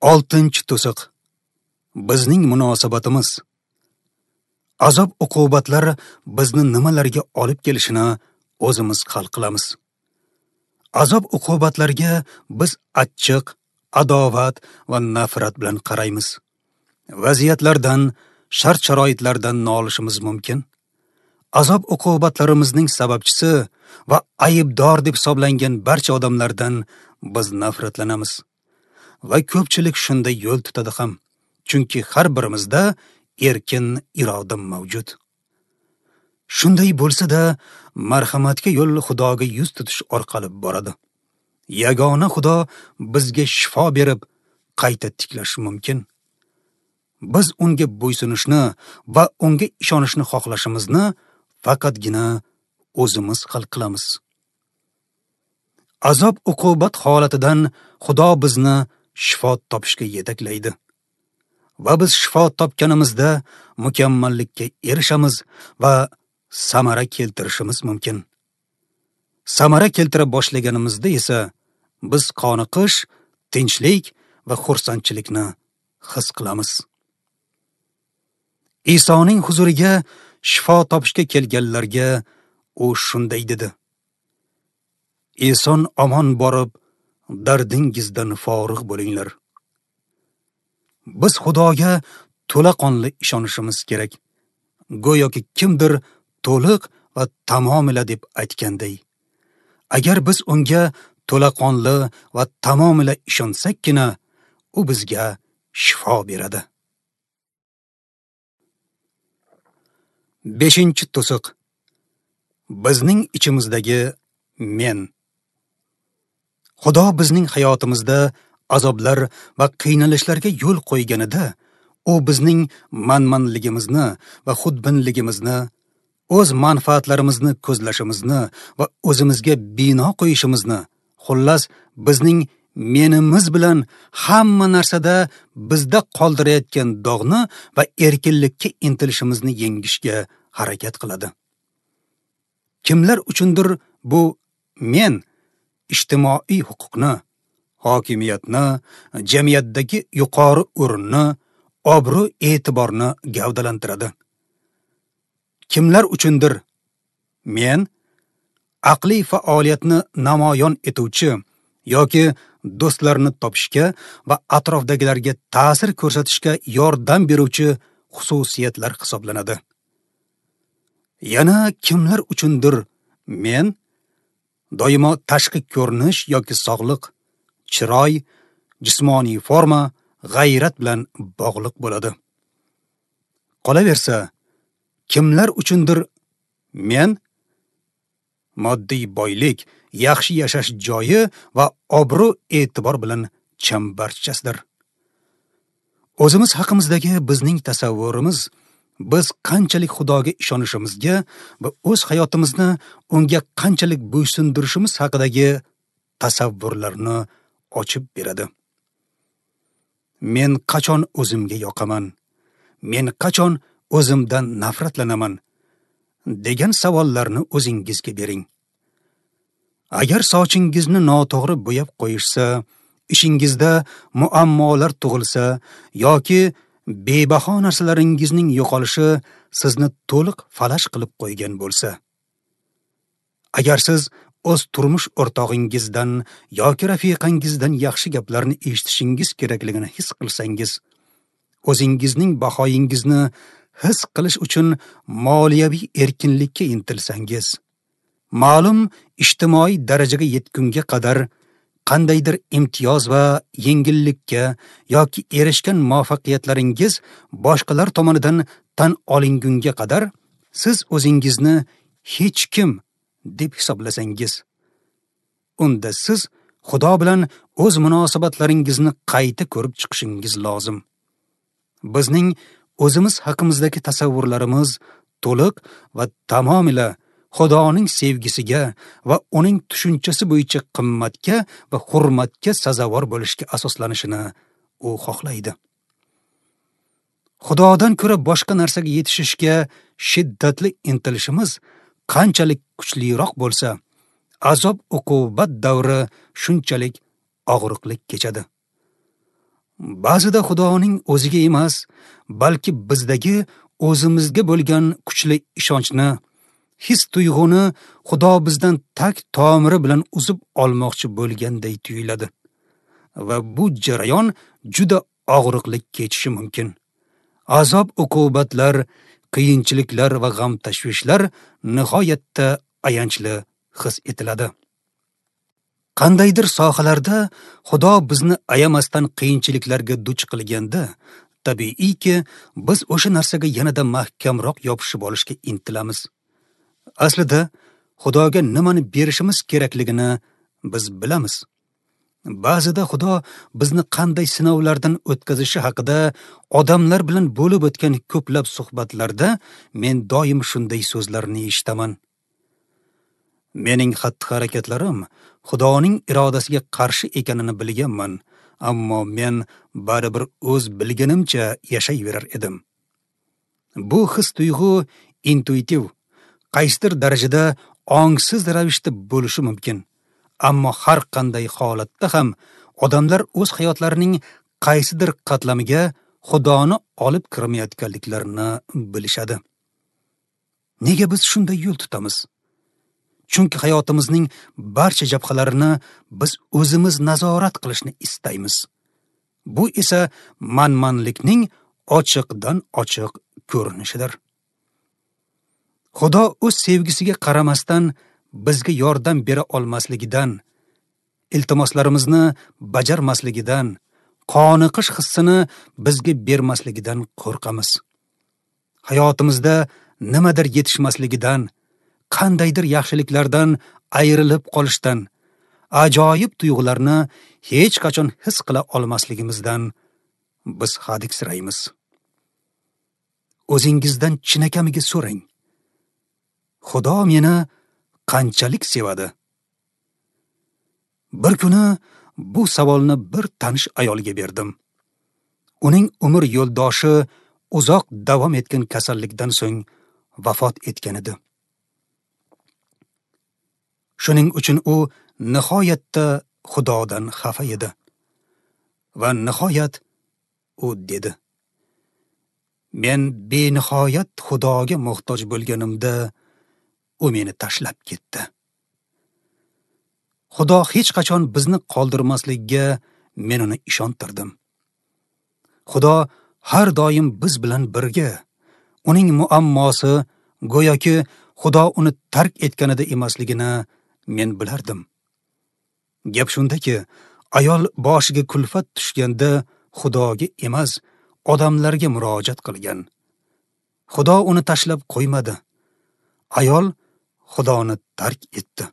6-to'siq. Bizning munosabatimiz. Azob uqubatlar bizni nimalarga olib kelishini o'zimiz hal qilamiz. Azob uqubatlarga biz achchiq, adovat va nafrat bilan qaraymiz. Vaziyatlardan, shart-sharoitlardan nolishimiz mumkin. Azob uqubatlarimizning sababchisi va aybdor deb hisoblangan barcha odamlardan biz nafratlanamiz. Va ko'pchilik shunday yo'l tutadi ham, chunki har birimizda erkin iroda mavjud. Shunday bo'lsa-da, marhamatga yo'l Xudoga yuz tutish orqali boradi. Yagona Xudo bizga shifo berib, qayta tiklashi mumkin. Biz unga bo'ysunishni va unga ishonishni xohlashimizni faqatgina o'zimiz hal qilamiz. Azob uqubat holatidan Xudo bizni shifo topishga yetaklaydi. Va biz shifo topganimizda mukammallikka erishamiz va samara keltirishimiz mumkin. Samara keltira boshlaganimizda esa biz qoniqish, tinchlik va xursandchilikni his qilamiz. Isoning huzuriga shifo topishga kelganlarga u shunday dedi: Eson omon borib, dardingizdan forig' bo'linglar. Biz Xudoga to'laqonli ishonishimiz kerak. Go'yoki kimdir to'liq va tamomila deb aytganday. Agar biz unga to'laqonli va tamomila ishonsakkina, u bizga shifo beradi. 5-to'siq. Bizning ichimizdagi men. Xudo bizning hayotimizda azoblar va qiynalishlarga yo'l qo'yganida, u bizning manmanligimizni va xudbinligimizni, o'z manfaatlarimizni ko'zlashimizni va o'zimizga bino qo'yishimizni, xullas bizning menimiz bilan hamma narsada bizda qoldirayotgan dog'ni va erkinlikka intilishimizni yengishga harakat qiladi. Kimlar uchundir bu men ijtimoiy huquqni, hokimiyatni, jamiyatdagi yuqori o'rinni, obro' e'tiborni gavdalantiradi. Kimlar uchundir men aqliy faoliyatni namoyon etuvchi yoki do'stlarni topishga va atrofdagilarga ta'sir ko'rsatishga yordam beruvchi xususiyatlar hisoblanadi. Yana kimlar uchundir men doimo tashqi ko'rinish yoki sog'liq, chiroy, jismoniy forma, g'ayrat bilan bog'liq bo'ladi. Qolaversa, kimlar uchundir men moddiy boylik, yaxshi yashash joyi va obro' e'tibor bilan chambarchasdir. O'zimiz haqimizdagi bizning tasavvurimiz biz qanchalik Xudoga ishonishimizga va o'z hayotimizni unga qanchalik bo'ysundirishimiz haqidagi tasavvurlarni ochib beradi. Men qachon o'zimga yoqaman? Men qachon o'zimdan nafratlanaman? Degan savollarni o'zingizga bering. Agar sochingizni noto'g'ri bo'yab qo'yishsa, ishingizda muammolar tug'ilsa yoki bebaho narsalaringizning yo'qolishi sizni to'liq falaj qilib qo'ygan bo'lsa, agar siz o'z turmush o'rtog'ingizdan yoki rafiqangizdan yaxshi gaplarni eshitishingiz kerakligini his qilsangiz, o'zingizning bahoyingizni his qilish uchun moliyaviy erkinlikka intilsangiz, ma'lum ijtimoiy darajaga yetgunga qadar qandaydir imtiyoz va yengillikka yoki erishgan muvaffaqiyatlaringiz boshqalar tomonidan tan olingunga qadar siz o'zingizni hech kim deb hisoblasangiz, unda siz Xudo bilan o'z munosabatlaringizni qayta ko'rib chiqishingiz lozim. Bizning o'zimiz haqimizdagi tasavvurlarimiz to'liq va tamomila Xudoning sevgisiga va uning tushunchasi bo'yicha qimmatga va hurmatga sazovor bo'lishga asoslanishini u xohlaydi. Xudodan ko'ra boshqa narsaga yetishishga shiddatli intilishimiz qanchalik kuchliroq bo'lsa, azob uqubat davri shunchalik og'riqli kechadi. Ba'zida Xudoning o'ziga emas, balki bizdagi o'zimizga bo'lgan kuchli ishonchni, his tuyg'uni Xudo bizdan tak tomiri bilan uzib olmoqchi bo'lganday tuyuladi. Va bu jarayon juda og'riqli kechishi mumkin. Azob uqubatlar, qiyinchiliklar va g'am tashvishlar nihoyatda ayanchli his etiladi. Qandaydir sohalarda Xudo bizni ayamasdan qiyinchiliklarga duch qilganda, tabiiyki, biz o'sha narsaga yanada mahkamroq yopishib olishga intilamiz. Aslida Xudoga nimani berishimiz kerakligini biz bilamiz. Ba'zida Xudo bizni qanday sinovlardan o'tkazishi haqida odamlar bilan bo'lib o'tgan ko'plab suhbatlarda men doim shunday so'zlarni eshitaman. Mening xatti-harakatlarim Xudoning irodasiga qarshi ekanini bilganman, ammo men baribir o'z bilganimcha yashayverar edim. Bu his-tuyg'u intuitiv, qaysidir darajada ongsiz ravishda bo'lishi mumkin. Ammo har qanday holatda ham odamlar o'z hayotlarining qaysidir qatlamiga Xudoni olib kirmayotganliklarini bilishadi. Nega biz shunday yo'l tutamiz? Chunki hayotimizning barcha jabhalarini biz o'zimiz nazorat qilishni istaymiz. Bu esa manmanlikning ochiqdan ochiq ko'rinishidir. Xudo o'z sevgisiga qaramasdan bizga yordam bera olmasligidan, iltimoslarimizni bajarmasligidan, qoniqish hissini bizga bermasligidan qo'rqamiz. Hayotimizda nimadir yetishmasligidan, qandaydir yaxshiliklardan ayrilib qolishdan, ajoyib tuyg'ularni hech qachon his qila olmasligimizdan biz hadiksiraymiz. O'zingizdan chinakamiga so'rang. Xudo meni qanchalik sevadi? Bir kuni bu savolni bir tanish ayolga berdim. Uning umr yo'ldoshi uzoq davom etgan kasallikdan so'ng vafot etgan edi. Shuning uchun u nihoyatda Xudodan xafa edi. Va nihoyat u dedi: Men benihoyat Xudoga muhtoj bo'lganimda u meni tashlab ketdi. Xudo hech qachon bizni qoldirmasligiga men uni ishontirdim. Xudo har doim biz bilan birga. Uning muammosi go'yoki Xudo uni tark etganida emasligini men bilardim. Gap shundaki, ayol boshiga kulfat tushganda Xudoga emas, odamlarga murojaat qilgan. Xudo uni tashlab qo'ymadi. Ayol Xudoni tark etdi.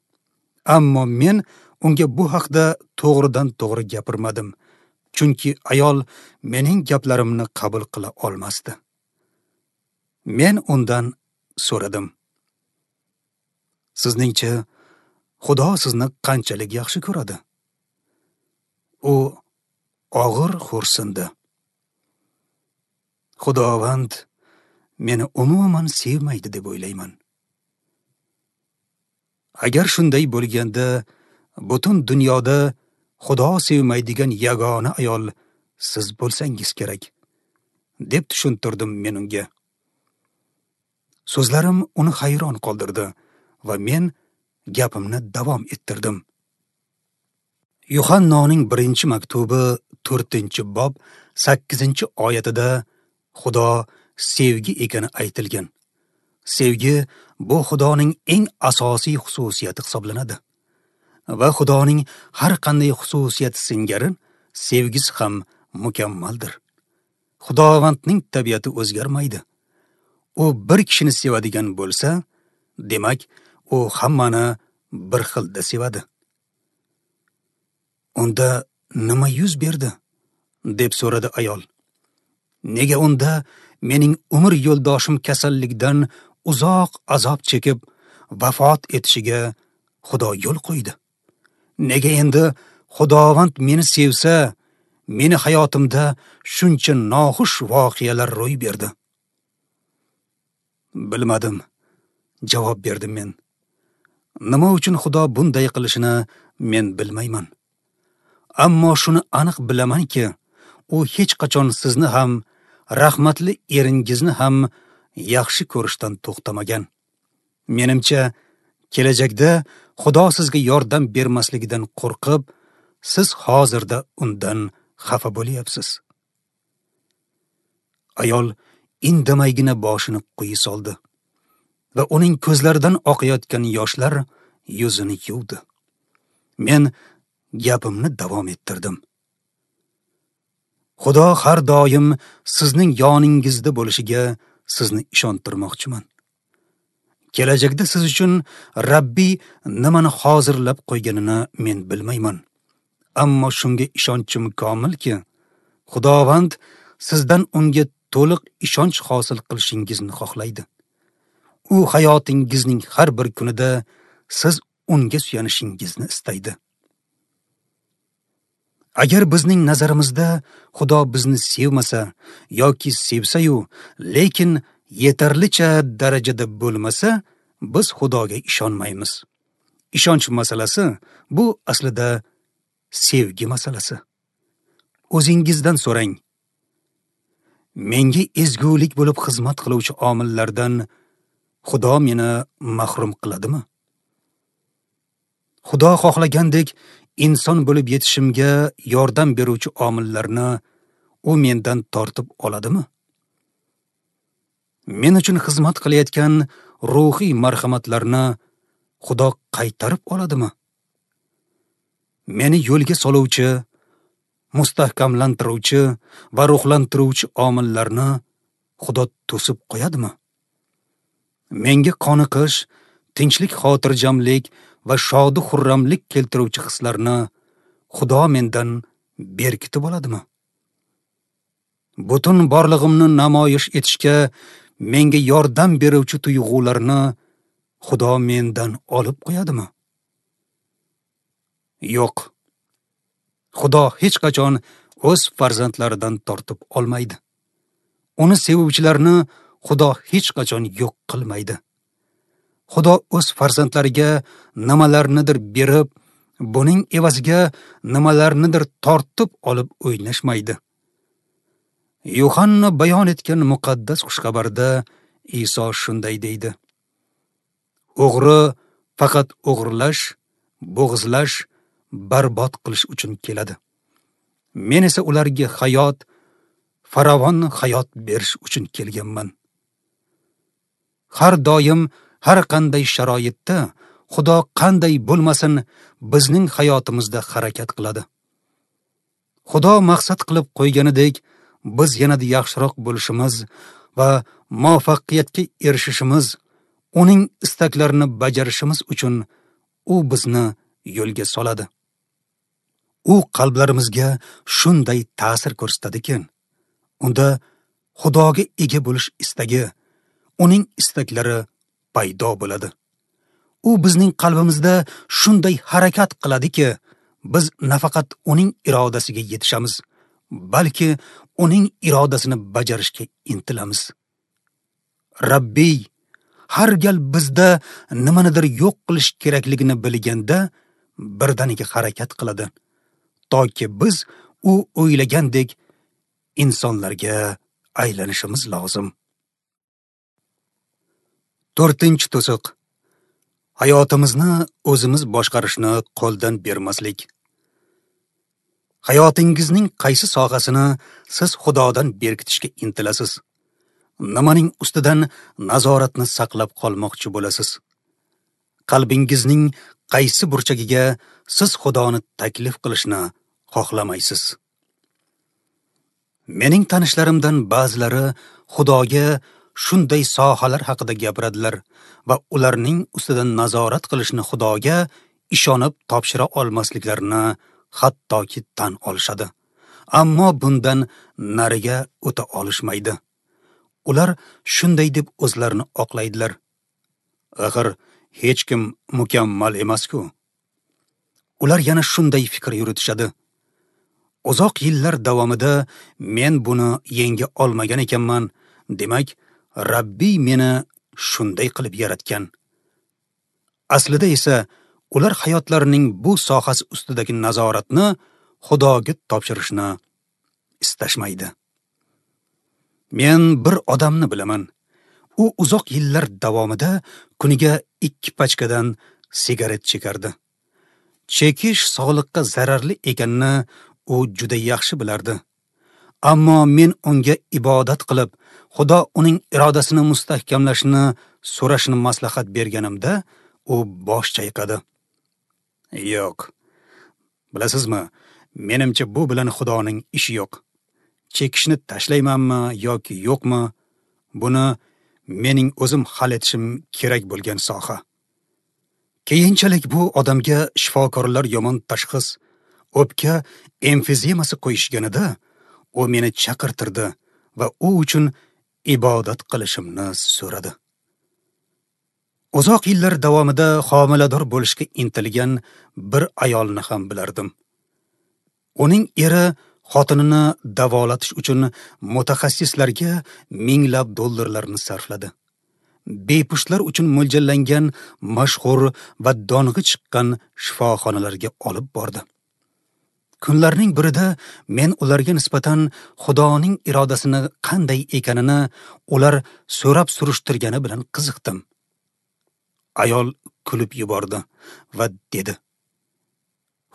Ammo men unga bu haqda to'g'ridan to'g'ri gapirmadim, chunki ayol mening gaplarimni qabul qila olmasdi. Men undan so'radim: Sizningcha Xudo sizni qanchalik yaxshi ko'radi? U og'ir xo'rsindi. Xudovand meni umuman sevmaydi deb o'ylayman. Agar shunday bo'lganda, butun dunyoda Xudo sevmaydigan yagona ayol siz bo'lsangiz kerak, deb tushuntirdim men unga. So'zlarim uni hayron qoldirdi va men gapimni davom ettirdim. Yuhannoning 1-maktubi 4-bob 8-oyatida Xudo sevgi ekani aytilgan. Sevgi bu Xudoning eng asosiy xususiyati hisoblanadi. Va Xudoning har qanday xususiyati singari sevgisi ham mukammaldir. Xudovandning tabiati o'zgarmaydi. U bir kishini sevadigan bo'lsa, demak, u hammani bir xilda sevadi. Unda nima yuz berdi? Deb so'radi ayol. Nega unda mening umr yo'ldoshim kasallikdan uzoq azob chekib vafot etishiga Xudo yo'l qo'ydi? Nega endi Xudovand meni sevsa, meni hayotimda shuncha noxush voqealar ro'y berdi? Bilmadim, javob berdim men. Nima uchun Xudo bunday qilishini men bilmayman. Ammo shuni aniq bilamanki, u hech qachon sizni ham, rahmatli eringizni ham yaxshi ko'rishdan to'xtamagan. Menimcha, kelajakda Xudo sizga yordam bermasligidan qo'rqib, siz hozirda undan xafa bo'lyapsiz. Ayol indamaygina boshini quyi soldi va uning ko'zlaridan oqayotgan yoshlar yuzini yuvdi. Men gapimni davom ettirdim. Xudo har doim sizning yoningizda bo'lishiga sizni ishontirmoqchiman. Kelajakda siz uchun Rabbiy nimani hozirlab qo'yganini men bilmayman. Ammo shunga ishonchim komilki, Xudovand sizdan unga to'liq ishonch hosil qilishingizni xohlaydi. U hayotingizning har bir kunida siz unga suyanishingizni istaydi. Agar bizning nazarimizda Xudo bizni sevmasa yoki sevsa-yu, lekin yetarlicha darajada bo'lmasa, biz Xudoga ishonmaymiz. Ishonch masalasi bu aslida sevgi masalasi. O'zingizdan so'rang. Menga ezgulik bo'lib xizmat qiluvchi omillardan Xudo meni mahrum qiladimi? Xudo xohlagandek inson bo'lib yetishimga yordam beruvchi omillarni u mendan tortib oladimi? Men uchun xizmat qilayotgan ruhiy marhamatlarni Xudo qaytarib oladimi? Meni yo'lga soluvchi, mustahkamlantiruvchi va ruhlantiruvchi omillarni Xudo to'sib qo'yadimi? Menga qoniqish, tinchlik, xotirjamlik va shodi xurramlik keltiruvchi hislarni Xudo mendan berkitib oladimi? Butun borlig'imni namoyish etishga menga yordam beruvchi tuyg'ularni Xudo mendan olib qo'yadimi? Yo'q. Xudo hech qachon o'z farzandlaridan tortib olmaydi. Uni sevuvchilarni Xudo hech qachon yo'q qilmaydi. Xudo o'z farzandlariga nimalarnidir berib, buning evaziga nimalarnidir tortib olib o'ynashmaydi. Yuhanna bayon etgan muqaddas xushxabarda Iso shunday deydi: O'g'ri faqat o'g'irlash, bo'g'izlash, barbod qilish uchun keladi. Men esa ularga hayot, farovon hayot berish uchun kelganman. Har doim, har qanday sharoitda Xudo qanday bo'lmasin bizning hayotimizda harakat qiladi. Xudo maqsad qilib qo'yganidek biz yanada yaxshiroq bo'lishimiz va muvaffaqiyatga erishishimiz, uning istaklarini bajarishimiz uchun u bizni yo'lga soladi. U qalblarimizga shunday ta'sir ko'rsatadiki, unda Xudoga ega bo'lish istagi, uning istaklari paydo bo'ladi. U bizning qalbimizda shunday harakat qiladiki, biz nafaqat uning irodasiga yetishamiz, balki uning irodasini bajarishga intilamiz. Rabbiy har gal bizda nimanidir yo'q qilish kerakligini bilganda birdaniga harakat qiladi, toki biz u o'ylagandek insonlarga aylanishimiz lozim. 4-to'siq. Hayotimizni o'zimiz boshqarishni qo'ldan bermaslik. Hayotingizning qaysi sohasini siz Xudodan berkitishga intilasiz? Nimaning ustidan nazoratni saqlab qolmoqchi bo'lasiz? Qalbingizning qaysi burchagiga siz Xudoni taklif qilishni xohlamaysiz? Mening tanishlarimdan ba'zilari Xudoga shunday sohalar haqida gapiradilar va ularning ustidan nazorat qilishni Xudoga ishonib topshira olmasliklarini hattoki tan olishadi. Ammo bundan nariga o'ta olishmaydi. Ular shunday deb o'zlarini oqlaydilar: Axir hech kim mukammal emas-ku. Ular yana shunday fikr yuritishadi: Uzoq yillar davomida men buni yenga olmagan ekanman, demak, Rabbiy meni shunday qilib yaratgan. Aslida esa ular hayotlarining bu sohasi ustidagi nazoratni Xudoga topshirishni istashmaydi. Men bir odamni bilaman. U uzoq yillar davomida kuniga 2 pachkadan sigaret chekardi. Chekish sog'liqqa zararli ekanini u juda yaxshi bilardi. Ammo men unga ibodat qilib, Xudo uning irodasini mustahkamlashini so'rashini maslahat berganimda, u bosh chayqadi. Yo'q. Bilasizmi, menimcha bu bilan Xudoning ishi yo'q. Chekishni tashlaymanmi yoki yo'qmi, buni mening o'zim hal etishim kerak bo'lgan soha. Keyinchalik bu odamga shifokorlar yomon tashxis, o'pka emfizemasi qo'yishganida, u meni chaqirtirdi va u uchun ibodat qilishimni so'radi. Uzoq yillar davomida homilador bo'lishga intilgan bir ayolni ham bilardim. Uning eri xotinini davolatish uchun mutaxassislarga minglab dollarlarni sarfladi. Bepushtlar uchun mo'ljallangan mashhur va dong'i chiqqan shifoxonalarga olib bordi. Kunlarning birida men ularga nisbatan Xudoning irodasini qanday ekanini ular so'rab surishtirgani bilan qiziqdim. Ayol kulib yubordi va dedi: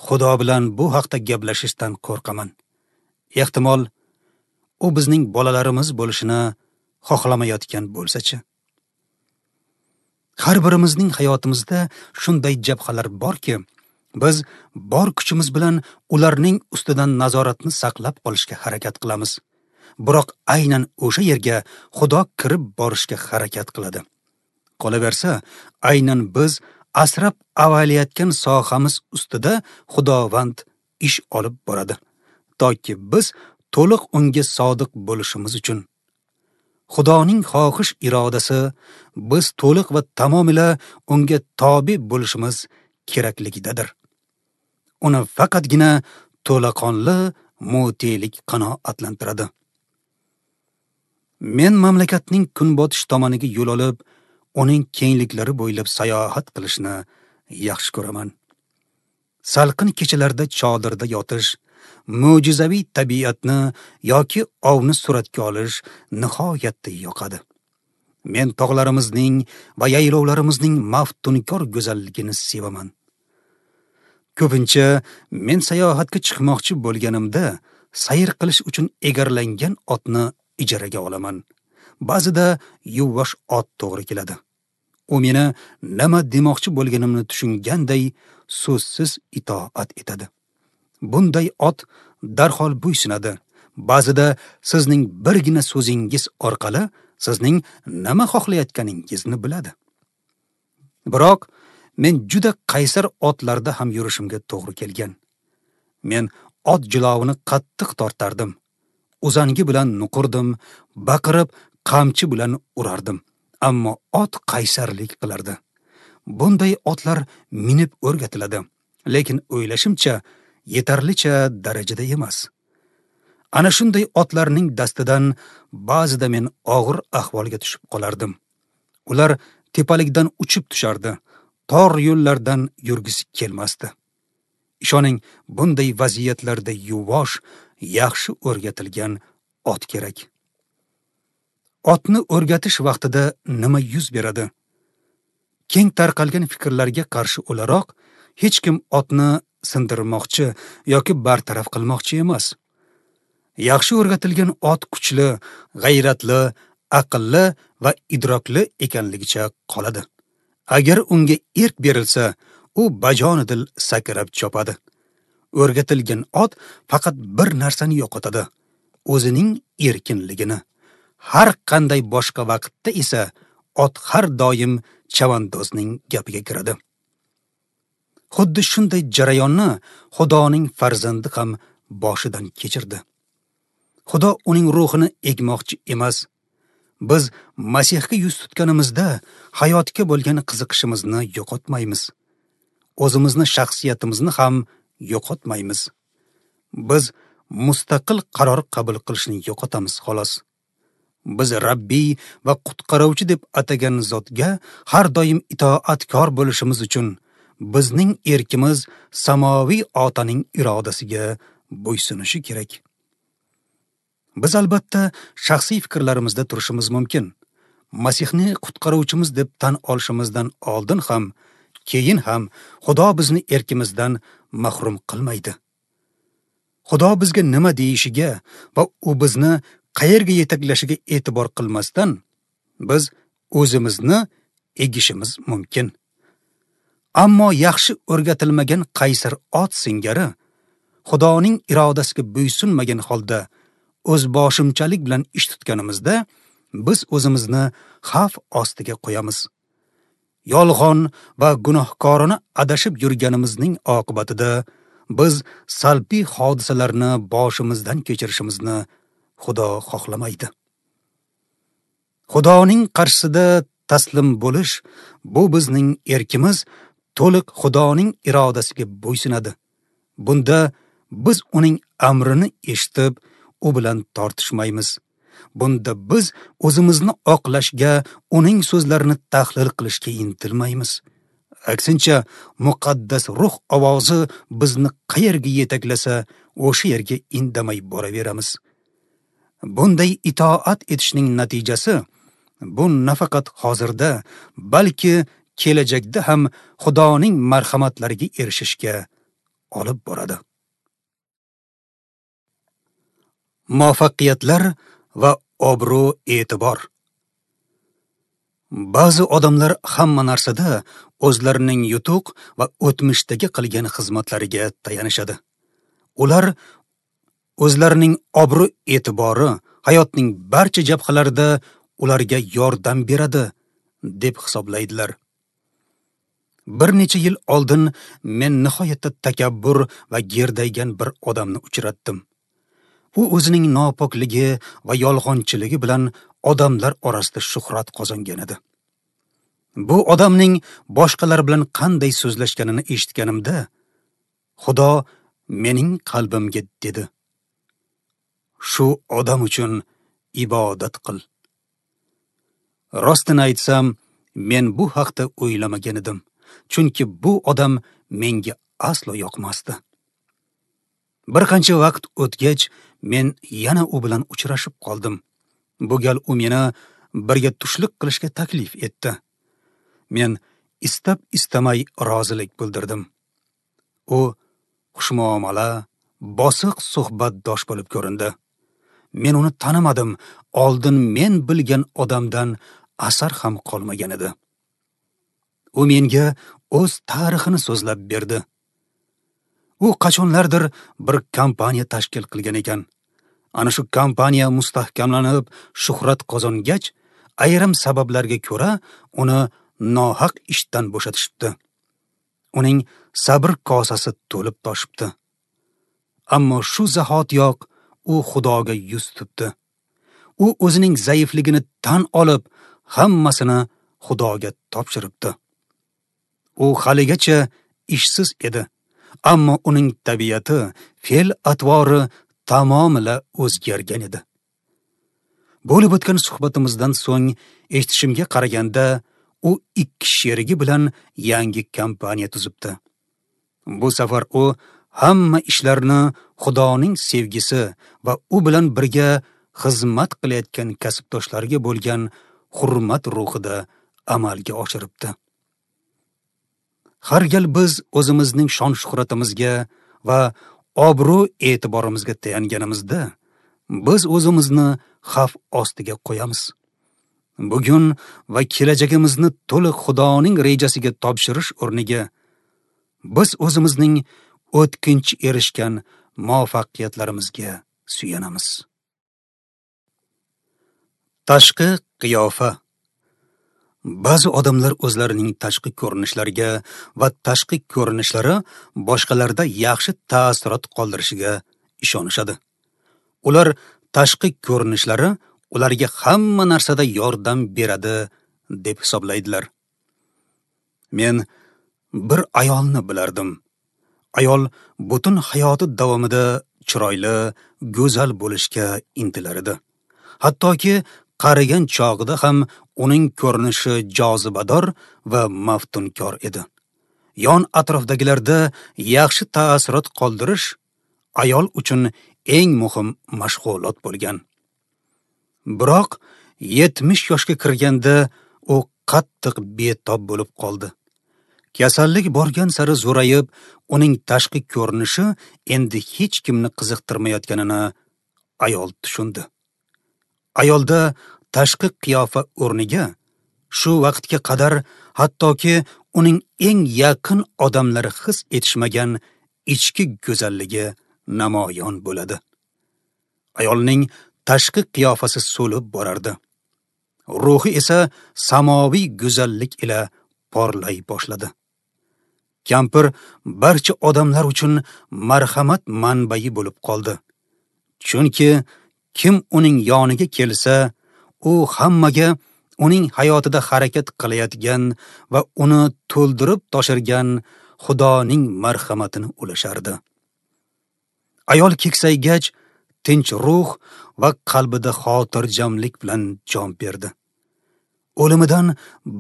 Xudo bilan bu haqda gaplashishdan qo'rqaman. Ehtimol u bizning bolalarimiz bo'lishini xohlamayotgan bo'lsa-chi. Har birimizning hayotimizda shunday jabhalar borki, biz bor kuchimiz bilan ularning ustidan nazoratni saqlab qolishga harakat qilamiz. Biroq aynan o'sha yerga Xudo kirib borishga harakat qiladi. Qolaversa, aynan biz asrab avaylayotgan sohamiz ustida Xudovand ish olib boradi, toki biz to'liq unga sodiq bo'lishimiz uchun. Xudoning xohish irodasi biz to'liq va tamomila unga tobe bo'lishimiz kerakligidadir. Uni faqatgina to'laqonli mutelik qanoatlantiradi. Men mamlakatning kunbotish tomoniga yo'l olib, uning kengliklari bo'ylab sayohat qilishni yaxshi ko'raman. Salqin kechalarda chodirda yotish, mo'jizaviy tabiatni yoki ovni suratga olish nihoyatda yoqadi. Men tog'larimizning va yaylovlarimizning maftunkor go'zalligini sevaman. Ko'pincha men sayohatga chiqmoqchi bo'lganimda sayr qilish uchun egarlangan otni ijaraga olaman. Ba'zida yuvosh ot to'g'ri keladi. U meni nima demoqchi bo'lganimni tushunganday so'zsiz itoat etadi. Bunday ot darhol bo'ysunadi. Ba'zida sizning birgina so'zingiz orqali sizning nima xohlayotganingizni biladi. Biroq men juda qaysar otlarda ham yurishimga to'g'ri kelgan. Men ot jilovini qattiq tortardim. Uzangi bilan nuqurdim, baqirib qamchi bilan urardim. Ammo ot qaysarlik qilardi. Bunday otlar minib o'rgatiladi, lekin o'ylashimcha yetarlicha darajada emas. Ana shunday otlarning dastidan ba'zida men og'ir ahvolga tushib qolardim. Ular tepalikdan uchib tushardi, tor yo'llardan yurgisi kelmasdi. Ishoning, bunday vaziyatlarda yuvosh, yaxshi o'rgatilgan ot kerak. Otni o'rgatish vaqtida nima yuz beradi? Keng tarqalgan fikrlarga qarshi o'laroq hech kim otni sindirmoqchi yoki bartaraf qilmoqchi emas. Yaxshi o'rgatilgan ot kuchli, g'ayratli, aqlli va idrokli ekanligicha qoladi. Agar unga erk berilsa, u bajonidil sakrab chopadi. O'rgatilgan ot faqat bir narsani yo'qotadi: o'zining erkinligini. Har qanday boshqa vaqtda esa ot har doim chavandozning gapiga kiradi. Xuddi shunday jarayonni Xudoning farzandi ham boshidan kechirdi. Xudo uning ruhini egmoqchi emas. Biz Masihga yuz tutganimizda hayotga bo'lgan qiziqishimizni yo'qotmaymiz. O'zimizni shaxsiyatimizni ham yo'qotmaymiz. Biz mustaqil qaror qabul qilishni yo'qotamiz xolos. Biz Rabbiy va qutqaruvchi deb atagan zotga har doim itoatkor bo'lishimiz uchun bizning erkimiz samoviy Otaning irodasiga bo'ysunishi kerak. Biz albatta shaxsiy fikrlarimizda turishimiz mumkin. Masihni qutqaruvchimiz deb tan olishimizdan oldin ham, keyin ham Xudo bizni erkimizdan mahrum qilmaydi. Xudo bizga nima deyishiga va u bizni qayerga yetaklashiga e'tibor qilmasdan biz o'zimizni egishimiz mumkin. Ammo yaxshi o'rgatilmagan qaysar ot singari Xudoning irodasiga bo'ysunmagan holda o'z boshimchalik bilan ish tutganimizda biz o'zimizni xavf ostiga qo'yamiz. Yolg'on va gunohkorona adashib yurganimizning oqibatida biz salbiy hodisalarni boshimizdan kechirishimizni Xudo xohlamaydi. Xudoning qarshisida taslim bo'lish bu bizning erkimiz to'liq Xudoning irodasiga bo'ysunadi. Bunda biz uning amrini eshitib, u bilan tortishmaymiz. Bunda biz o'zimizni oqlashga, uning so'zlarini tahlil qilishga intilmaymiz. Aksincha, muqaddas ruh ovozi bizni qayerga yetaklasa, o'sha yerga indamay boraveramiz. Bunday itoat etishning natijasi bu nafaqat hozirda, balki kelajakda ham Xudoning marhamatlariga erishishga olib boradi. Muvaffaqiyatlar va obro'-e'tibor. Ba'zi odamlar hamma narsada o'zlarining yutuq va o'tmishdagi qilgan xizmatlariga tayanishadi. Ular o'zlarining obro'-e'tibori hayotning barcha jabhalarida ularga yordam beradi deb hisoblaydilar. Bir necha yil oldin men nihoyatda takabbur va gerdaygan bir odamni uchratdim. U o'zining nopokligi va yolg'onchiligi bilan odamlar orasida shuhrat qozongan edi. Bu odamning boshqalar bilan qanday so'zlashganini eshitganimda, Xudo mening qalbimga dedi: "Shu odam uchun ibodat qil." Rostini aytsam, men bu haqda o'ylamagan edim, chunki bu odam menga aslo yoqmasdi. Bir qancha vaqt o'tgach, men yana u bilan uchrashib qoldim. Bu gal u meni birga tushlik qilishga taklif etdi. Men istab-istamay rozilik bildirdim. U xushmuomala, bosiq suhbatdosh bo'lib ko'rindi. Men uni tanimadim, oldin men bilgan odamdan asar ham qolmagan edi. U menga o'z tarixini so'zlab berdi. U qachonlardir bir kompaniya tashkil qilgan ekan. Ana shu kompaniya mustahkamlanib, shuhrat qozongach, ayrim sabablarga ko'ra uni nohaq ishdan bo'shatishibdi. Uning sabr kosasi to'lib toshibdi. Ammo shu zahotiyoq u Xudoga yuz tutdi. U o'zining zaifligini tan olib, hammasini Xudoga topshiribdi. U haligacha ishsiz edi, ammo uning tabiati, fe'l-atvori tamomila o'zgargan edi. Bo'lib o'tgan suhbatimizdan so'ng eshitishimga qaraganda, u ikki sherigi bilan yangi kompaniya tuzibdi. Bu safar u hamma ishlarni Xudoning sevgisi va u bilan birga xizmat qilayotgan kasbdoshlariga bo'lgan hurmat ruhida amalga oshiribdi. Har gal biz o'zimizning shon-shuhratimizga va obro'-e'tiborimizga tayanganimizda, biz o'zimizni xavf ostiga qo'yamiz. Bugun va kelajagimizni to'liq Xudoning rejasiga topshirish o'rniga biz o'zimizning o'tkinchi erishgan muvaffaqiyatlarimizga suyanamiz. Tashqi qiyofa. Ba'zi odamlar o'zlarining tashqi ko'rinishlariga va tashqi ko'rinishlari boshqalarda yaxshi ta'sirot qoldirishiga ishonishadi. Ular tashqi ko'rinishlari ularga hamma narsada yordam beradi deb hisoblaydilar. Men bir ayolni bilardim. Ayol butun hayoti davomida chiroyli, go'zal bo'lishga intilar edi. Hattoki qarigan chog'ida ham uning ko'rinishi jozibador va maftunkor edi. Yon atrofdagilarda yaxshi ta'sirot qoldirish ayol uchun eng muhim mashg'ulot bo'lgan. Biroq 70 yoshga kirganda u qattiq betob bo'lib qoldi. Kasallik borgan sari zo'rayib, uning tashqi ko'rinishi endi hech kimni qiziqtirmayotganini ayol tushundi. Ayolda tashqi qiyofa o'rniga shu vaqtga qadar hattoki uning eng yaqin odamlari his etishmagan ichki go'zalligi namoyon bo'ladi. Ayolning tashqi qiyofasi so'lib borardi. Ruhi esa samoviy go'zallik ila porlay boshladi. Kampir barcha odamlar uchun marhamat manbai bo'lib qoldi. Chunki kim uning yoniga kelsa, u hammaga uning hayotida harakat qilayotgan va uni to'ldirib toshirgan Xudoning marhamatini ulashardi. Ayol keksaygach, tinch ruh va qalbida xotirjamlik bilan jon berdi. O'limidan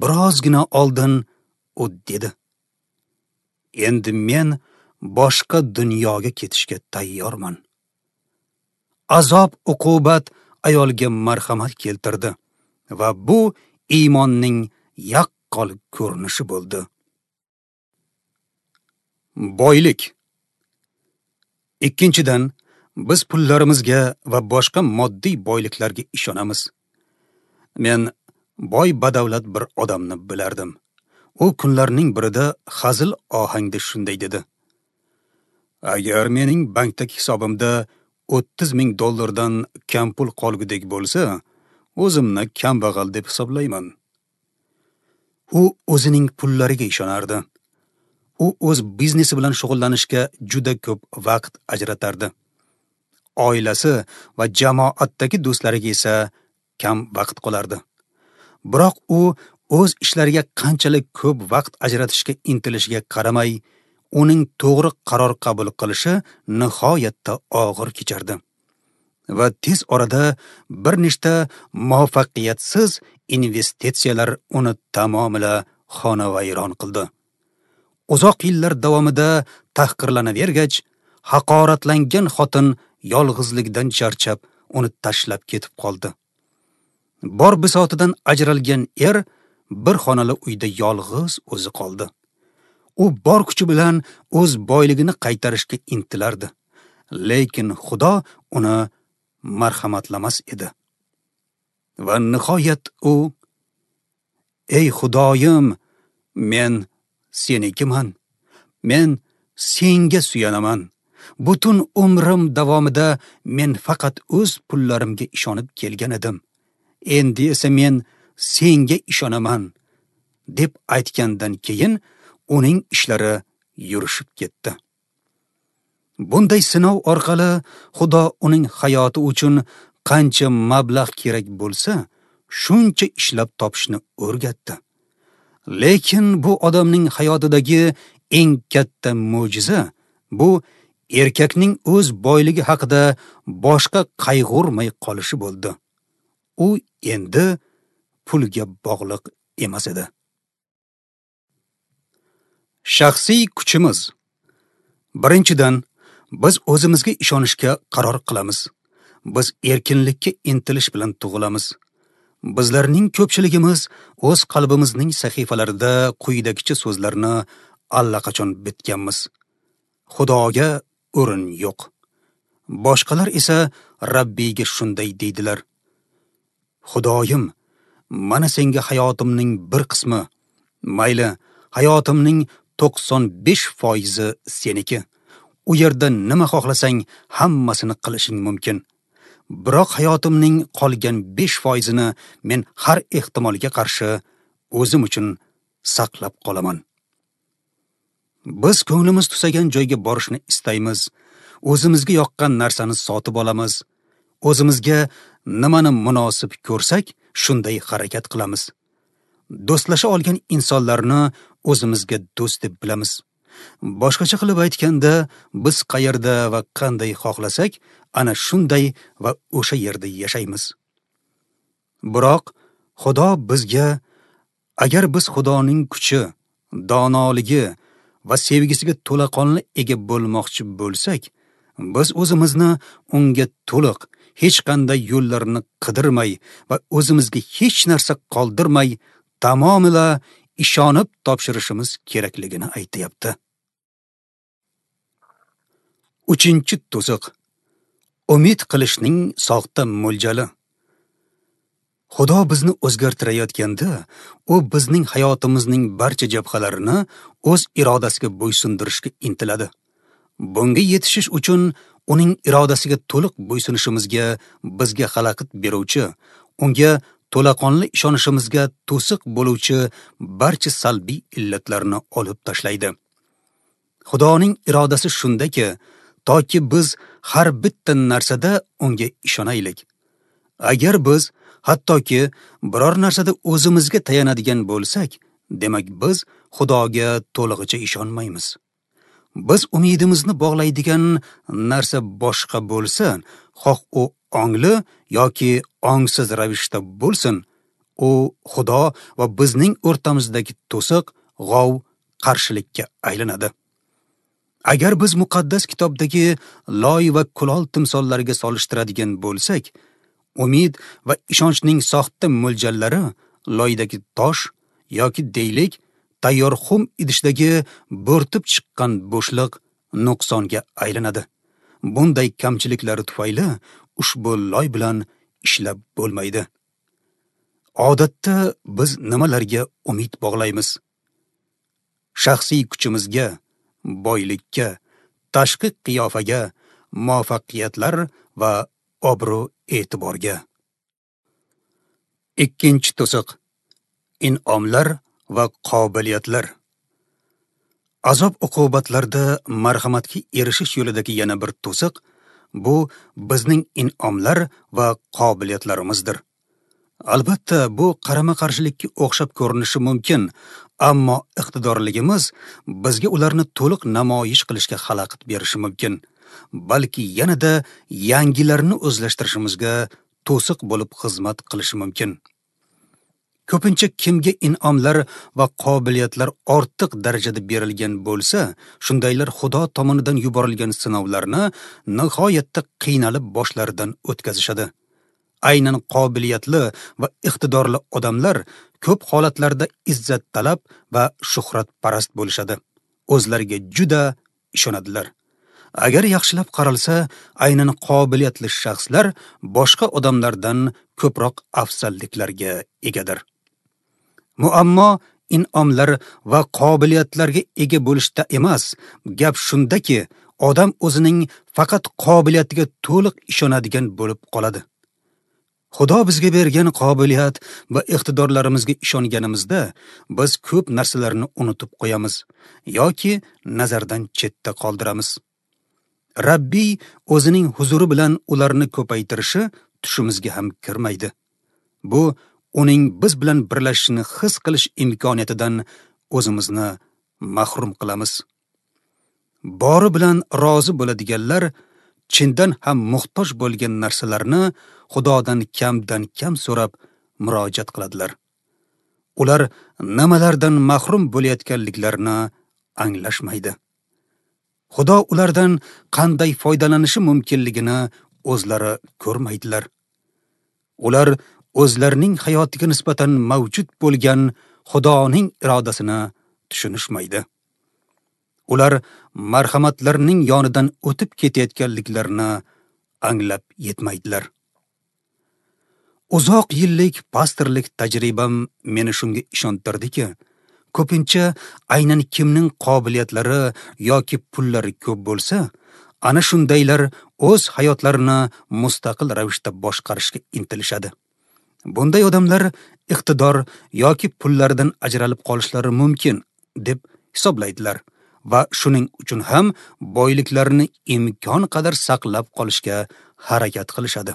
birozgina oldin u dedi: "Endi men boshqa dunyoga ketishga tayyorman." Azob uqubat ayolga marhamat keltirdi va bu iymonning yaqqol ko'rinishi bo'ldi. Boylik. Ikkinchidan, biz pullarimizga va boshqa moddiy boyliklarga ishonamiz. Men boy badavlat bir odamni bilardim. U kunlarning birida hazil ohangda shunday dedi: "Agar mening bankdagi hisobimda 30 ming dollardan kam pul qolgudek bo'lsa, o'zimni kambag'al deb hisoblayman." U o'zining pullariga ishonardi. U o'z biznesi bilan shug'ullanishga juda ko'p vaqt ajratardi. Oilasi va jamoatdagi do'stlariga esa kam vaqt qolardi. Biroq u o'z ishlariga qanchalik ko'p vaqt ajratishga intilishiga qaramay, uning to'g'ri qaror qabul qilishi nihoyatda og'ir kechardi. Va tez orada bir nechta muvaffaqiyatsiz investitsiyalar uni tamomila xonavayron qildi. Uzoq yillar davomida tahqirlanavergach, haqoratlangan xotin yolg'izlikdan charchab, uni tashlab ketib qoldi. Bor bisotidan ajralgan er bir xonali uyda yolg'iz o'zi qoldi. U bor kuchi bilan o'z boyligini qaytarishga intilardi. Lekin Xudo uni marhamatlamas edi. Va nihoyat u: "Ey Xudoyim, men senikiman. Men senga suyanaman. Butun umrim davomida men faqat o'z pullarimga ishonib kelgan edim. Endi esa men senga ishonaman", deb aytgandan keyin uning ishlari yurishib ketdi. Bunday sinov orqali Xudo uning hayoti uchun qancha mablag' kerak bo'lsa, shuncha ishlab topishni o'rgatdi. Lekin bu odamning hayotidagi eng katta mo'jiza bu erkakning o'z boyligi haqida boshqa qayg'urmay qolishi bo'ldi. U endi pulga bog'liq emas edi. Shaxsiy kuchimiz. Birinchidan, biz o'zimizga ishonishga qaror qilamiz. Biz erkinlikka intilish bilan tug'ilamiz. Bizlarning ko'pchiligimiz o'z qalbimizning sahifalarida quyidagicha so'zlarni allaqachon bitganmiz: Xudoga o'rin yo'q. Boshqalar esa Rabbiyga shunday deydilar: Xudoyim, mana senga hayotimning bir qismi, mayli, hayotimning 95% seniki. U yerda nima xohlasang hammasini qilishing mumkin. Biroq hayotimning qolgan 5%ni men har ehtimolga qarshi o'zim uchun saqlab qolaman. Biz ko'nglimiz tusagan joyga borishni istaymiz. O'zimizga yoqqan narsani sotib olamiz. O'zimizga nimani munosib ko'rsak, shunday harakat qilamiz. Do'stlasha olgan insonlarni o'zimizga do'st deb bilamiz. Boshqacha qilib aytganda, biz qayerda va qanday xohlasak, ana shunday va o'sha yerda yashaymiz. Biroq Xudo bizga, agar biz Xudoning kuchi, donoligi va sevgisiga to'laqonli ega bo'lmoqchi bo'lsak, Biz o'zimizni unga to'liq, hech qanday yo'llarni qidirmay va o'zimizga hech narsa qoldirmay tamomila ishonib topshirishimiz kerakligini aytayapti. 3-to'siq. Umid qilishning soxta mo'ljali. Xudo bizni o'zgartirayotganda, u bizning hayotimizning barcha jabhalarini o'z irodasiga bo'ysundirishga intiladi. Bunga yetishish uchun uning irodasiga to'liq bo'ysunishimizga bizga xalaqit beruvchi, unga to'laqonli ishonishimizga to'siq bo'luvchi barcha salbiy illatlarni olib tashlaydi. Xudoning irodasi shundaki, toki biz har bitta narsada unga ishonaylik. Agar biz hattoki biror narsada o'zimizga tayanadigan bo'lsak, demak biz Xudoga to'lig'icha ishonmaymiz. Biz umidimizni bog'laydigan narsa boshqa bo'lsa, xoh u ongli yoki ongsiz ravishda bo'lsin, u Xudo va bizning o'rtamizdagi to'siq, g'ov qarshilikka aylanadi. Agar biz muqaddas kitobdagi loy va kulol timsollariga solishtiradigan bo'lsak, umid va ishonchning soxta mo'ljallari loydagi tosh yoki deylik tayyor xum idishdagi bo'rtib chiqqan bo'shliq nuqsonga aylanadi. Bunday kamchiliklari tufayli ushbu loy bilan ishlab bo'lmaydi. Odatda biz nimalarga umid bog'laymiz? Shaxsiy kuchimizga, boylikka, tashqi qiyofaga, muvaffaqiyatlar va obro' e'tiborga. 2-to'siq. In'omlar va qobiliyatlar. Azob uqubatlarda marhamatga erishish yo'lidagi yana bir to'siq bu bizning in'omlar va qobiliyatlarimizdir. Albatta, bu qarama-qarshilikka o'xshab ko'rinishi mumkin, ammo iqtidorligimiz bizga ularni to'liq namoyish qilishga xalaqit berishi mumkin, balki yanada yangilarini o'zlashtirishimizga to'siq bo'lib xizmat qilishi mumkin. Ko'pincha kimga in'omlar va qobiliyatlar ortiq darajada berilgan bo'lsa, shundaylar Xudo tomonidan yuborilgan sinovlarni nihoyatda qiynalib boshlaridan o'tkazishadi. Aynan qobiliyatli va iqtidorli odamlar ko'p holatlarda izzattalab va shuhratparast bo'lishadi. O'zlariga juda ishonadilar. Agar yaxshilab qaralsa, aynan qobiliyatli shaxslar boshqa odamlardan ko'proq afzalliklarga egadir. Muammo in'omlar va qobiliyatlarga ega bo'lishda emas, gap shundaki, odam o'zining faqat qobiliyatiga to'liq ishonadigan bo'lib qoladi. Xudo bizga bergan qobiliyat va iqtidorlarimizga ishonganimizda biz ko'p narsalarni unutib qo'yamiz yoki nazardan chetda qoldiramiz. Rabbiy o'zining huzuri bilan ularni ko'paytirishi tushimizga ham kirmaydi. Bu uning biz bilan birlashishini his qilish imkoniyatidan o'zimizni mahrum qilamiz. Bori bilan rozi bo'ladiganlar chindan ham muhtoj bo'lgan narsalarni Xudodan kamdan kam so'rab murojaat qiladilar. Ular nimalardan mahrum bo'layotganliklarini anglashmaydi. Xudo ulardan qanday foydalanishi mumkinligini o'zlari ko'rmaydilar. Ular o'zlarining hayotiga nisbatan mavjud bo'lgan Xudoning irodasini tushunishmaydi. Ular marhamatlarning yonidan o'tib ketayotganliklarini anglab yetmaydilar. Uzoq yillik pastorlik tajribam meni shunga ishontirdiki, ko'pincha aynan kimning qobiliyatlari yoki pullari ko'p bo'lsa, ana shundaylar o'z hayotlarini mustaqil ravishda boshqarishga intilishadi. Bunday odamlar iqtidor yoki pullaridan ajralib qolishlari mumkin deb hisoblaydilar va shuning uchun ham boyliklarini imkon qadar saqlab qolishga harakat qilishadi.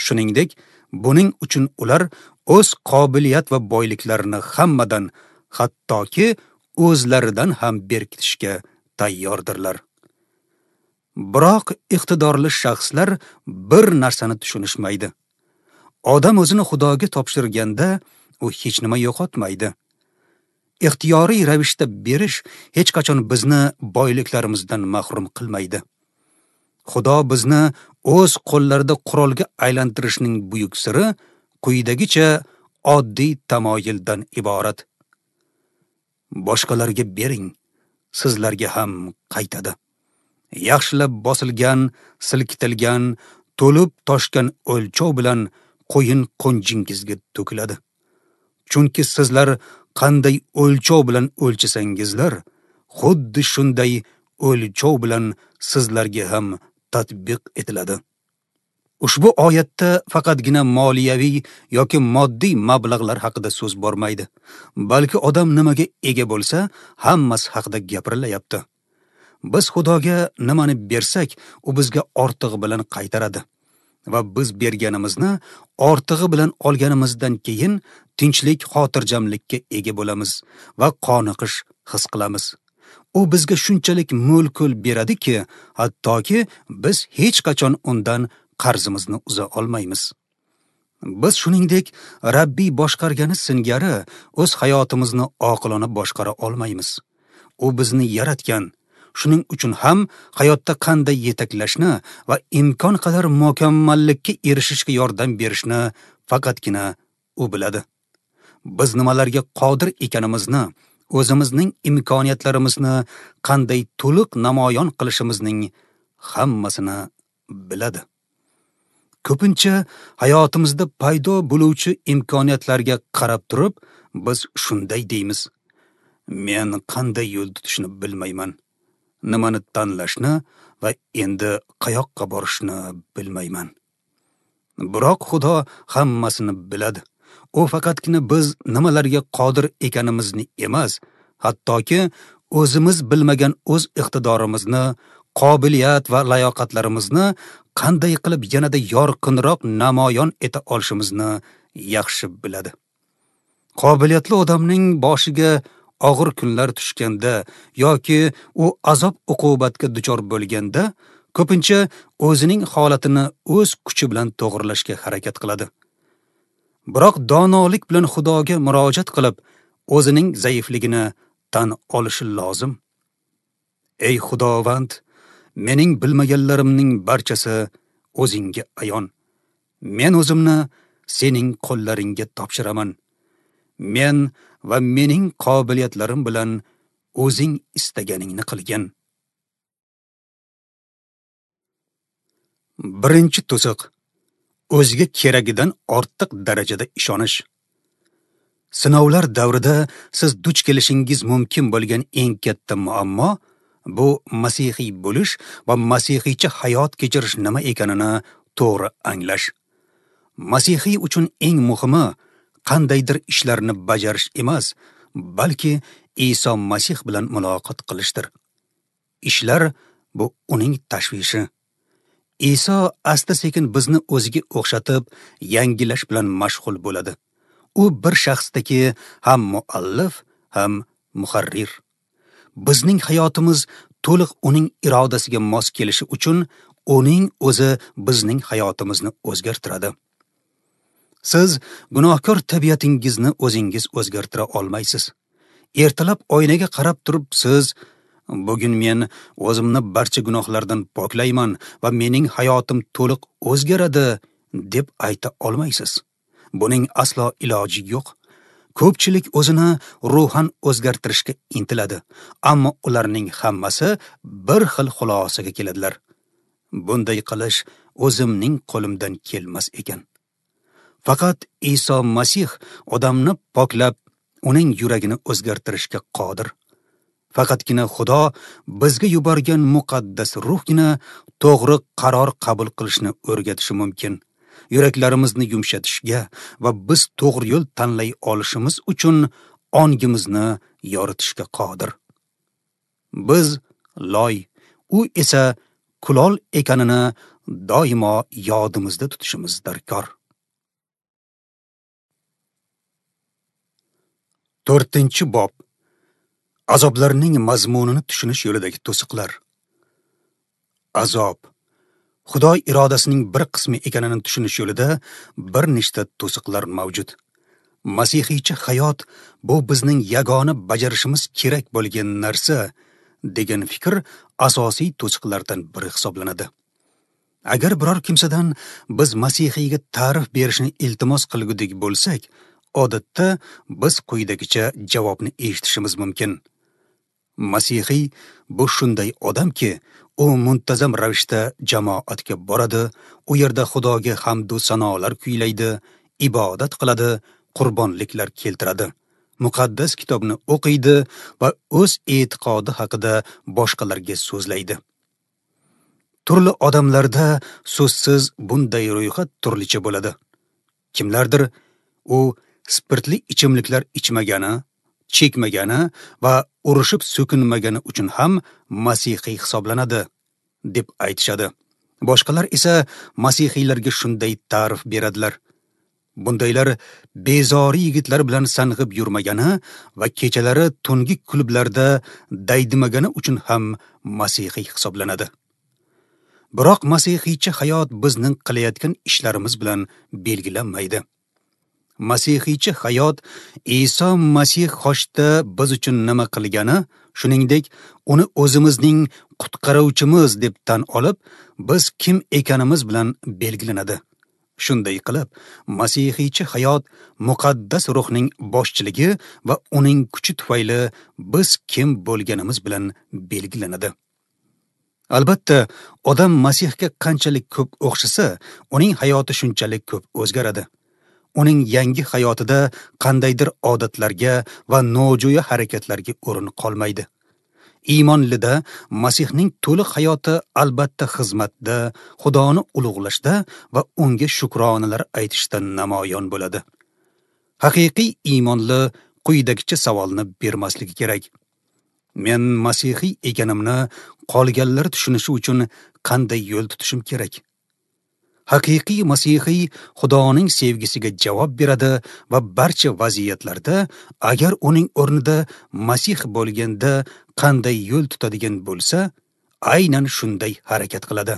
Shuningdek, buning uchun ular o'z qobiliyat va boyliklarini hammadan, hattoki o'zlaridan ham berkitishga tayyordirlar. Biroq iqtidorli shaxslar bir narsani tushunishmaydi. Odam o'zini Xudoga topshirganda u hech nima yo'qotmaydi. Ixtiyoriy ravishda berish hech qachon bizni boyliklarimizdan mahrum qilmaydi. Xudo bizni o'z qo'llarida qurolga aylantirishning buyuk siri quyidagicha oddiy tamoyildan iborat. Boshqalarga bering, sizlarga ham qaytadi. Yaxshilab bosilgan, silkitilgan, to'lib toshgan o'lchov bilan qo'yin qo'njingizga to'kiladi. Chunki sizlar qanday o'lchov bilan o'lchasangizlar, xuddi shunday o'lchov bilan sizlarga ham tatbiq etiladi. Ushbu oyatda faqatgina moliyaviy yoki moddiy mablag'lar haqida so'z bormaydi, balki odam nimaga ega bo'lsa, hammasi haqida gapirilyapti. Biz Xudoga nimani bersak, u bizga ortig'i bilan qaytaradi. Va biz berganimizni ortig'i bilan olganimizdan keyin tinchlik, xotirjamlikka ega bo'lamiz va qoniqish his qilamiz. U bizga shunchalik mo'l-ko'l beradiki, hattoki biz hech qachon undan qarzimizni uza olmaymiz. Biz shuningdek Rabbiy boshqargani singari o'z hayotimizni oqilona boshqara olmaymiz. U bizni yaratgan. Shuning uchun ham hayotda qanday yetaklashni va imkon qadar mukammallikka erishishga yordam berishni faqatgina u biladi. Biz nimalarga qodir ekanimizni, o'zimizning imkoniyatlarimizni qanday to'liq namoyon qilishimizning hammasini biladi. Ko'pincha hayotimizda paydo bo'luvchi imkoniyatlarga qarab turib, biz shunday deymiz: men qanday yo'l tutishni bilmayman, nimani tanlashni va endi qayoqqa borishni bilmayman. Biroq Xudo hammasini biladi. U faqatgina biz nimalarga qodir ekanimizni emas, hattoki o'zimiz bilmagan o'z iqtidorimizni, qobiliyat va layoqatlarimizni qanday qilib yanada yorqinroq namoyon eta olishimizni yaxshi biladi. Qobiliyatli odamning boshiga og'ir kunlar tushganda yoki u azob-uqubatga duchor bo'lganda, ko'pincha o'zining holatini o'z kuchi bilan to'g'rilashga harakat qiladi. Biroq donolik bilan Xudoga murojaat qilib, o'zining zaifligini tan olishi lozim. Ey Xudovand, mening bilmaganlarimning barchasi o'zingga ayon. Men o'zimni sening qo'llaringga topshiraman. Men va mening qobiliyatlarim bilan o'zing istaganingni qilgin. Birinchi to'siq: o'ziga keragidan ortiq darajada ishonish. Sinovlar davrida siz duch kelishingiz mumkin bo'lgan eng katta muammo bu masihiy bo'lish va masihiycha hayot kechirish nima ekanini to'g'ri anglash. Masihiy uchun eng muhimi qandaydir ishlarni bajarish emas, balki Iso Masih bilan muloqot qilishdir. Ishlar bu uning tashvishi. Iso asta-sekin bizni o'ziga o'xshatib, yangilash bilan mashg'ul bo'ladi. U bir shaxsdagi ham muallif, ham muharrir. Bizning hayotimiz to'liq uning irodasiga mos kelishi uchun uning o'zi bizning hayotimizni o'zgartiradi. Siz gunohkor tabiatingizni o'zingiz o'zgartira olmaysiz. Ertalab oynaga qarab turib siz: bugun men o'zimni barcha gunohlardan poklayman va mening hayotim to'liq o'zgaradi, deb ayta olmaysiz. Buning aslo iloji yo'q. Ko'pchilik o'zini ruhan o'zgartirishga intiladi, ammo ularning hammasi bir xil xulosaga keladilar: bunday qilish o'zimning qo'limdan kelmas ekan. Faqat Iso Masih odamni poklab, uning yuragini o'zgartirishga qodir. Faqatgina Xudo bizga yuborgan muqaddas ruhgina to'g'ri qaror qabul qilishni o'rgatishi mumkin. Yuraklarimizni yumshatishga va biz to'g'ri yo'l tanlay olishimiz uchun ongimizni yoritishga qodir. Biz loy, u esa kulol ekanini doimo yodimizda tutishimiz darkor. 4-bob. Azoblarning mazmunini tushunish yo'lidagi to'siqlar. Azob Xudo irodasining bir qismi ekanini tushunish yo'lida bir nechta to'siqlar mavjud. Masihiycha hayot bu bizning yagona bajarishimiz kerak bo'lgan narsa degan fikr asosiy to'siqlardan biri hisoblanadi. Agar biror kimsadan biz masihiyga ta'rif berishni iltimos qilgudik bo'lsak, odatda biz quyidagicha javobni eshitishimiz mumkin. Masihiy bu shunday odamki, u muntazam ravishda jamoatga boradi, u yerda Xudoga hamd va sanolar kuylaydi, ibodat qiladi, qurbonliklar keltiradi, muqaddas kitobni o'qiydi va o'z e'tiqodi haqida boshqalarga so'zlaydi. Turli odamlarda so'zsiz bunday ro'yxat turlicha bo'ladi. Kimlardir u spirtli ichimliklar ichmagani, chekmagani va urushib so'kinmagani uchun ham masihiy hisoblanadi deb aytishadi. Boshqalar esa masihiylarga shunday ta'rif beradilar. Bundaylar bezori yigitlar bilan sang'ib yurmagani va kechalari tungi klublarda daydimagani uchun ham masihiy hisoblanadi. Biroq masihiycha hayot bizning qilayotgan ishlarimiz bilan belgilanmaydi. Masihiycha hayot Iso Masih xochda biz uchun nima qilgani, shuningdek, uni o'zimizning qutqaruvchimiz deb tan olib, biz kim ekanimiz bilan belgilanadi. Shunday qilib, masihiycha hayot muqaddas ruhning boshchiligi va uning kuchi tufayli biz kim bo'lganimiz bilan belgilanadi. Albatta, odam Masihga qanchalik ko'p o'xshasa, uning hayoti shunchalik ko'p o'zgaradi. Uning yangi hayotida qandaydir odatlarga va nojo'ya harakatlarga o'rin qolmaydi. Iymonlida Masihning to'liq hayoti albatta xizmatda, Xudoni ulug'lashda va unga shukronalar aytishda namoyon bo'ladi. Haqiqiy iymonli quyidagicha savolni bermasligi kerak: Men masihiy ekanimni qolganlar tushunishi uchun qanday yo'l tutishim kerak? Haqiqiy masihiy Xudoning sevgisiga javob beradi va barcha vaziyatlarda agar uning o'rnida Masih bo'lganda qanday yo'l tutadigan bo'lsa, aynan shunday harakat qiladi.